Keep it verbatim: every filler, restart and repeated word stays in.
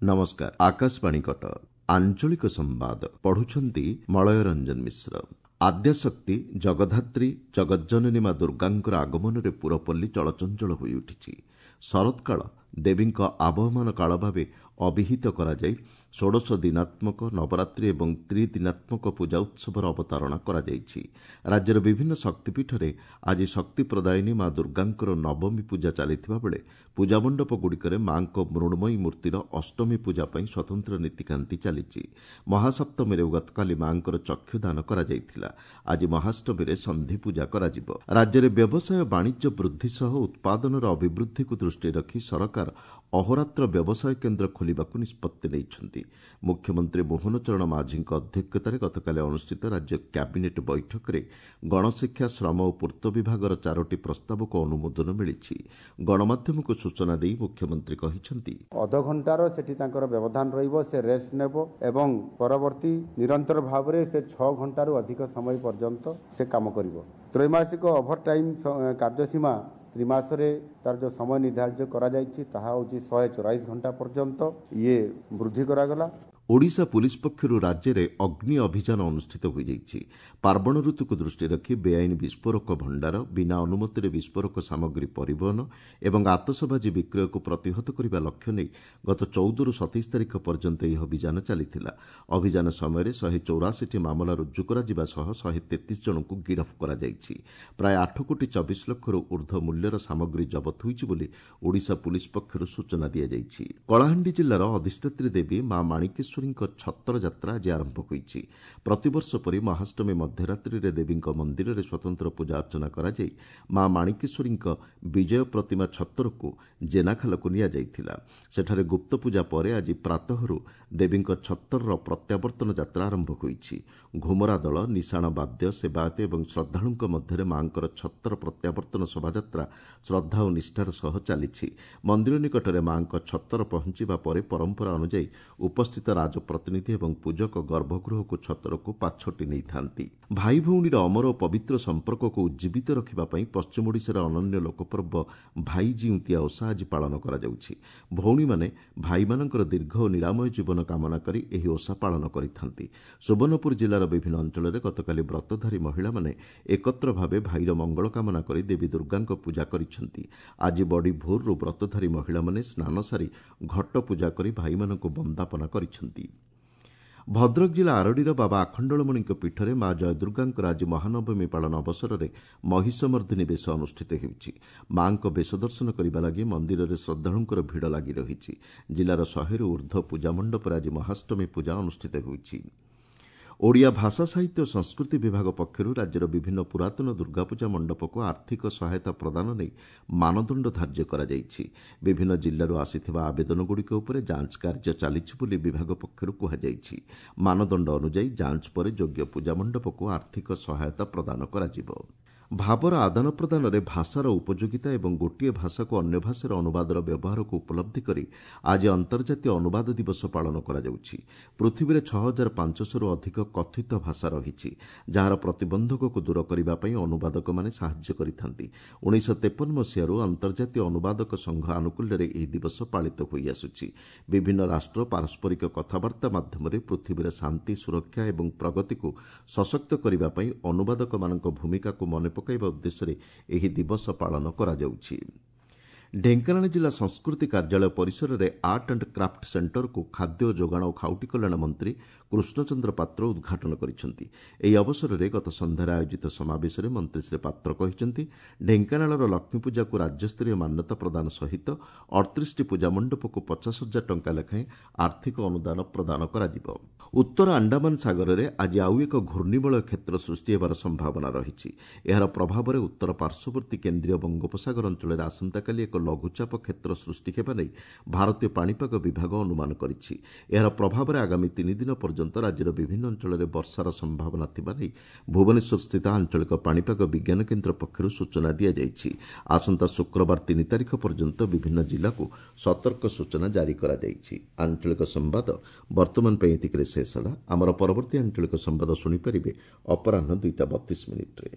ନମସ୍କାର, ଆକାଶବାଣୀ କଟକ। ଆଞ୍ଚଳିକ ସମ୍ବାଦ ପଢୁଛନ୍ତି ମଳୟ ରଞ୍ଜନ ମିଶ୍ର। ଆଦ୍ୟାଶକ୍ତି ଜଗଦ୍ଧାତ୍ରୀ ଜଗଜ୍ଜନନୀ ମା ଦୁର୍ଗାଙ୍କର ଆଗମନରେ ପୁରପଲ୍ଲୀ ଚଳଚଞ୍ଚଳ ହୋଇଉଠିଛି। ଶରତକାଳ ଦେବୀଙ୍କ ଆବହମାନ କାଳ ଭାବେ ଅଭିହିତ କରାଯାଇ ଷୋଡ଼ଶ ଦିନାତ୍ମକ ନବରାତ୍ରି ଏବଂ ତ୍ରିଦିନାତ୍ମକ ପୂଜା ଉତ୍ସବର ଅବତାରଣା କରାଯାଇଛି। ରାଜ୍ୟର ବିଭିନ୍ନ ଶକ୍ତିପୀଠରେ ଆଜି ଶକ୍ତି ପ୍ରଦାୟିନୀ ମା ଦୁର୍ଗାଙ୍କର ନବମୀ ପୂଜା ଚାଲିଥିବା ବେଳେ ପୂଜାମଣ୍ଡପଗୁଡ଼ିକରେ ମାଙ୍କ ମୃଣ୍ମୟୀ ମୂର୍ତ୍ତିର ଅଷ୍ଟମୀ ପୂଜା ପାଇଁ ସ୍ୱତନ୍ତ୍ର ନୀତିକାନ୍ତି ଚାଲିଛି। ମହାସପ୍ତମୀରେ ଗତକାଲି ମାଙ୍କର ଚକ୍ଷୁଦାନ କରାଯାଇଥିଲା। ଆଜି ମହାଷ୍ଟମୀରେ ସନ୍ଧି ପୂଜା କରାଯିବ। ରାଜ୍ୟରେ ବ୍ୟବସାୟ ବାଣିଜ୍ୟ ବୃଦ୍ଧି ସହ ଉତ୍ପାଦନର ଅଭିବୃଦ୍ଧିକୁ ଦୃଷ୍ଟିରେ ରଖି ସରକାର ଅହୋରାତ୍ର ବ୍ୟବସାୟ କେନ୍ଦ୍ର ଖୋଲିବାକୁ ନିଷ୍ପତ୍ତି ନେଇଛନ୍ତି। ମୁଖ୍ୟମନ୍ତ୍ରୀ ମୋହନ ଚରଣ ମାଝୀଙ୍କ ଅଧ୍ୟକ୍ଷତାରେ ଗତକାଲି ଅନୁଷ୍ଠିତ ରାଜ୍ୟ କ୍ୟାବିନେଟ୍ ବୈଠକରେ ଗଣଶିକ୍ଷା, ଶ୍ରମ ଓ ପୂର୍ତ୍ତ ବିଭାଗର ଚାରୋଟି ପ୍ରସ୍ତାବକୁ ଅନୁମୋଦନ ମିଳିଛି। ଗଣମାଧ୍ୟମକୁ ସୂଚନା ଦେଇ ମୁଖ୍ୟମନ୍ତ୍ରୀ କହିଛନ୍ତି, ଅଧଘଣ୍ଟାର ସେଠି ତାଙ୍କର ବ୍ୟବଧାନ ରହିବ, ସେ ରେଷ୍ଟ ନେବ ଏବଂ ପରବର୍ତ୍ତୀ ନିରନ୍ତର ଭାବରେ ସେ ଛଅ ଘଣ୍ଟାରୁ ଅଧିକ ସମୟ ପର୍ଯ୍ୟନ୍ତ ସେ କାମ କରିବ। ତ୍ରୈମାସିକ ଓଭର ଟାଇମ୍ କାର୍ଯ୍ୟସୀମା ତ୍ରିମାସରେ ତାର ଯେଉଁ ସମୟ ନିର୍ଦ୍ଧାର୍ଯ୍ୟ କରାଯାଇଛି ତାହା ହେଉଛି ଶହେ ଚଉରାଳିଶ ଘଣ୍ଟା ପର୍ଯ୍ୟନ୍ତ ଇଏ ବୃଦ୍ଧି କରାଗଲା। ଓଡ଼ିଶା ପୁଲିସ୍ ପକ୍ଷରୁ ରାଜ୍ୟରେ ଅଗ୍ନି ଅଭିଯାନ ଅନୁଷ୍ଠିତ ହୋଇଯାଇଛି। ପାର୍ବଣ ଋତୁକୁ ଦୃଷ୍ଟିରେ ରଖି ବେଆଇନ ବିସ୍ଫୋରକ ଭଣ୍ଡାର, ବିନା ଅନୁମତିରେ ବିସ୍ଫୋରକ ସାମଗ୍ରୀ ପରିବହନ ଏବଂ ଆତସବାଜି ବିକ୍ରୟକୁ ପ୍ରତିହତ କରିବା ଲକ୍ଷ୍ୟ ନେଇ ଗତ ଚଉଦରୁ ସତେଇଶ ତାରିଖ ପର୍ଯ୍ୟନ୍ତ ଏହି ଅଭିଯାନ ଚାଲିଥିଲା। ଅଭିଯାନ ସମୟରେ ଶହେ ଚଉରାଅଶୀଟି ମାମଲା ରୁଜୁ କରାଯିବା ସହ ଶହେ ତେତିଶ ଜଣଙ୍କୁ ଗିରଫ କରାଯାଇଛି। ପ୍ରାୟ ଆଠ କୋଟି ଚବିଶ ଲକ୍ଷରୁ ଉର୍ଦ୍ଧ୍ୱ ମୂଲ୍ୟର ସାମଗ୍ରୀ ଜବତ ହୋଇଛି ବୋଲି ଓଡ଼ିଶା ପୁଲିସ୍ ପକ୍ଷରୁ ସୂଚନା ଦିଆଯାଇଛି। କଳାହାଣ୍ଡି ଜିଲ୍ଲାର ଅଧିଷ୍ଠାତ୍ରୀ ଦେବୀ ମା ମାଣିକେଶ୍ୱରୀ ଛତ୍ର ଯାତ୍ରା ଆଜି ଆରମ୍ଭ ହୋଇଛି। ପ୍ରତିବର୍ଷ ପରି ମହାଷ୍ଟମୀ ମଧ୍ୟରାତ୍ରିରେ ଦେବୀଙ୍କ ମନ୍ଦିରରେ ସ୍ୱତନ୍ତ୍ର ପୂଜା ଅର୍ଚ୍ଚନା କରାଯାଇ ମା ମାଣିକେଶ୍ୱରୀଙ୍କ ବିଜୟ ପ୍ରତିମା ଛତ୍ରକୁ ଜେନାଖାଲକୁ ନିଆଯାଇଥିଲା। ସେଠାରେ ଗୁପ୍ତ ପୂଜା ପରେ ଆଜି ପ୍ରାତଃରୁ ଦେବୀଙ୍କ ଛତ୍ରର ପ୍ରତ୍ୟାବର୍ତ୍ତନ ଯାତ୍ରା ଆରମ୍ଭ ହୋଇଛି। ଘୁମରା ଦଳ, ନିଶାଣ ବାଦ୍ୟ, ସେବାୟତ ଏବଂ ଶ୍ରଦ୍ଧାଳୁଙ୍କ ମଧ୍ୟରେ ମାଙ୍କର ଛତ୍ର ପ୍ରତ୍ୟାବର୍ତ୍ତନ ଶୋଭାଯାତ୍ରା ଶ୍ରଦ୍ଧା ଓ ନିଷ୍ଠାର ସହ ଚାଲିଛି। ମନ୍ଦିର ନିକଟରେ ମାଙ୍କ ଛତ୍ର ପହଞ୍ଚିବା ପରେ ପରମ୍ପରା ଅନୁଯାୟୀ ଉପସ୍ଥିତ ରାଜପ୍ରତିନିଧି ଏବଂ ପୂଜକ ଗର୍ଭଗୃହକୁ ଛତ୍ରକୁ ପାଛୋଟି ନେଇଥାନ୍ତି। ଭାଇ ଭଉଣୀର ଅମର ଓ ପବିତ୍ର ସମ୍ପର୍କକୁ ଉଜ୍ଜୀବିତ ରଖିବା ପାଇଁ ପଶ୍ଚିମ ଓଡ଼ିଶାର ଅନନ୍ୟ ଲୋକପର୍ବ ଭାଇ ଜିଉନ୍ତିଆ ଓଷା ଆଜି ପାଳନ କରାଯାଉଛି। ଭଉଣୀମାନେ ଭାଇମାନଙ୍କର ଦୀର୍ଘ ଓ ନିରାମୟ ଜୀବନ କାମନା କରି ଏହି ଓଷା ପାଳନ କରିଥାନ୍ତି। ସୁବର୍ଣ୍ଣପୁର ଜିଲ୍ଲାର ବିଭିନ୍ନ ଅଞ୍ଚଳରେ ଗତକାଲି ବ୍ରତଧାରୀ ମହିଳାମାନେ ଏକତ୍ର ଭାବେ ଭାଇର ମଙ୍ଗଳ କାମନା କରି ଦେବୀ ଦୁର୍ଗାଙ୍କ ପୂଜା କରିଛନ୍ତି। ଆଜି ବଡ଼ି ଭୋରରୁ ବ୍ରତଧାରୀ ମହିଳାମାନେ ସ୍ନାନ ସାରି ଘଟ ପୂଜା କରି ଭାଇମାନଙ୍କୁ ବନ୍ଦାପନା କରିଛନ୍ତି। ଭଦ୍ରକ ଜିଲ୍ଲା ଆରଡ଼ିର ବାବା ଆଖଣ୍ଡଳମଣିଙ୍କ ପୀଠରେ ମା ଜୟଦୁର୍ଗାଙ୍କର ଆଜି ମହାନବମୀ ପାଳନ ଅବସରରେ ମହିଷମର୍ଦ୍ଦିନୀ ବେଶ ଅନୁଷ୍ଠିତ ହେଉଛି। ମାଙ୍କ ବେଶ ଦର୍ଶନ କରିବା ଲାଗି ମନ୍ଦିରରେ ଶ୍ରଦ୍ଧାଳୁଙ୍କର ଭିଡ଼ ଲାଗି ରହିଛି। ଜିଲ୍ଲାର ଶହେରୁ ଉର୍ଦ୍ଧ୍ୱ ପୂଜା ମଣ୍ଡପରେ ଆଜି ମହାଷ୍ଟମୀ ପୂଜା ଅନୁଷ୍ଠିତ ହେଉଛି। ଓଡ଼ିଆ ଭାଷା ସାହିତ୍ୟ ଓ ସଂସ୍କୃତି ବିଭାଗ ପକ୍ଷରୁ ରାଜ୍ୟର ବିଭିନ୍ନ ପୁରାତନ ଦୁର୍ଗାପୂଜା ମଣ୍ଡପକୁ ଆର୍ଥିକ ସହାୟତା ପ୍ରଦାନ ନେଇ ମାନଦଣ୍ଡ ଧାର୍ଯ୍ୟ କରାଯାଇଛି। ବିଭିନ୍ନ ଜିଲ୍ଲାରୁ ଆସିଥିବା ଆବେଦନଗୁଡ଼ିକ ଉପରେ ଯାଞ୍ଚ କାର୍ଯ୍ୟ ଚାଲିଛି ବୋଲି ବିଭାଗ ପକ୍ଷରୁ କୁହାଯାଇଛି। ମାନଦଣ୍ଡ ଅନୁଯାୟୀ ଯାଞ୍ଚ ପରେ ଯୋଗ୍ୟ ପୂଜା ମଣ୍ଡପକୁ ଆର୍ଥିକ ସହାୟତା ପ୍ରଦାନ କରାଯିବ। ଭାବର ଆଦାନ ପ୍ରଦାନରେ ଭାଷାର ଉପଯୋଗିତା ଏବଂ ଗୋଟିଏ ଭାଷାକୁ ଅନ୍ୟ ଭାଷାରେ ଅନୁବାଦର ବ୍ୟବହାରକୁ ଉପଲବ୍ଧି କରି ଆଜି ଅନ୍ତର୍ଜାତୀୟ ଅନୁବାଦ ଦିବସ ପାଳନ କରାଯାଉଛି। ପୃଥିବୀରେ ଛଅ ହଜାର ପାଞ୍ଚଶହରୁ ଅଧିକ କଥିତ ଭାଷା ରହିଛି, ଯାହାର ପ୍ରତିବନ୍ଧକକୁ ଦୂର କରିବା ପାଇଁ ଅନୁବାଦକମାନେ ସାହାଯ୍ୟ କରିଥାନ୍ତି। ଉଣେଇଶହ ତେପନ ମସିହାରୁ ଅନ୍ତର୍ଜାତୀୟ ଅନୁବାଦକ ସଂଘ ଆନୁକୂଲ୍ୟରେ ଏହି ଦିବସ ପାଳିତ ହୋଇଆସୁଛି। ବିଭିନ୍ନ ରାଷ୍ଟ୍ର ପାରସ୍ପରିକ କଥାବାର୍ତ୍ତା ମାଧ୍ୟମରେ ପୃଥିବୀର ଶାନ୍ତି, ସୁରକ୍ଷା ଏବଂ ପ୍ରଗତିକୁ ସଶକ୍ତ କରିବା ପାଇଁ ଅନୁବାଦକମାନଙ୍କ ଭୂମିକାକୁ ମନେ ପକାଇବା ଉଦ୍ଦେଶ୍ୟରେ ଏହି ଦିବସ ପାଳନ କରାଯାଉଛି। ଢେଙ୍କାନାଳ ଜିଲ୍ଲା ସଂସ୍କୃତି କାର୍ଯ୍ୟାଳୟ ପରିସରରେ ଆର୍ଟ ଆଣ୍ଡ କ୍ରାଫ୍ଟ ସେଣ୍ଟରକୁ ଖାଦ୍ୟ ଯୋଗାଣ ଓ ଖାଉଟି କଲ୍ୟାଣ ମନ୍ତ୍ରୀ କୃଷ୍ଣଚନ୍ଦ୍ର ପାତ୍ର ଉଦ୍ଘାଟନ କରିଛନ୍ତି। ଏହି ଅବସରରେ ଗତ ସନ୍ଧ୍ୟାରେ ଆୟୋଜିତ ସମାବେଶରେ ମନ୍ତ୍ରୀ ଶ୍ରୀ ପାତ୍ର କହିଛନ୍ତି, ଢେଙ୍କାନାଳର ଲକ୍ଷ୍ମୀପୂଜାକୁ ରାଜ୍ୟସ୍ତରୀୟ ମାନ୍ୟତା ପ୍ରଦାନ ସହିତ ଅଠତିରିଶଟି ପୂଜା ମଣ୍ଡପକୁ ପଚାଶ ହଜାର ଟଙ୍କା ଲେଖାଏଁ ଆର୍ଥିକ ଅନୁଦାନ ପ୍ରଦାନ କରାଯିବ। ଉତ୍ତର ଆଣ୍ଡାମାନ ସାଗରରେ ଆଜି ଆଉ ଏକ ଘୂର୍ଣ୍ଣିବଳୟ କ୍ଷେତ୍ର ସୃଷ୍ଟି ହେବାର ସମ୍ଭାବନା ରହିଛି। ଏହାର ପ୍ରଭାବରେ ଉତ୍ତର ପାର୍ଶ୍ୱବର୍ତ୍ତୀ କେନ୍ଦ୍ରୀୟ ବଙ୍ଗୋପସାଗର ଅଞ୍ଚଳରେ ଆସନ୍ତାକାଲି ଏକ ଲଘୁଚାପ କ୍ଷେତ୍ର ସୃଷ୍ଟି ହେବା ନେଇ ଭାରତୀୟ ପାଣିପାଗ ବିଭାଗ ଅନୁମାନ କରିଛି। ଏହାର ପ୍ରଭାବରେ ଆଗାମୀ ତିନି ଦିନ ପର୍ଯ୍ୟନ୍ତ ରାଜ୍ୟର ବିଭିନ୍ନ ଅଞ୍ଚଳରେ ବର୍ଷାର ସମ୍ଭାବନା ଥିବା ନେଇ ଭୁବନେଶ୍ୱରସ୍ଥିତ ଆଞ୍ଚଳିକ ପାଣିପାଗ ବିଜ୍ଞାନ କେନ୍ଦ୍ର ପକ୍ଷରୁ ସୂଚନା ଦିଆଯାଇଛି। ଆସନ୍ତା ଶୁକ୍ରବାର ତିନି ତାରିଖ ପର୍ଯ୍ୟନ୍ତ ବିଭିନ୍ନ ଜିଲ୍ଲାକୁ ସତର୍କ ସୂଚନା ଜାରି କରାଯାଇଛି। ଆଞ୍ଚଳିକ ସମ୍ବାଦ ବର୍ତ୍ତମାନ ପାଇଁ ଏତିକିରେ ଶେଷ ହେଲା। ଆମର ପରବର୍ତ୍ତୀ ଆଞ୍ଚଳିକ ସମ୍ବାଦ ଶୁଣିପାରିବେ ଅପରାହ୍ନ ଦୁଇଟା ବତିଶ ମିନିଟ୍ରେ।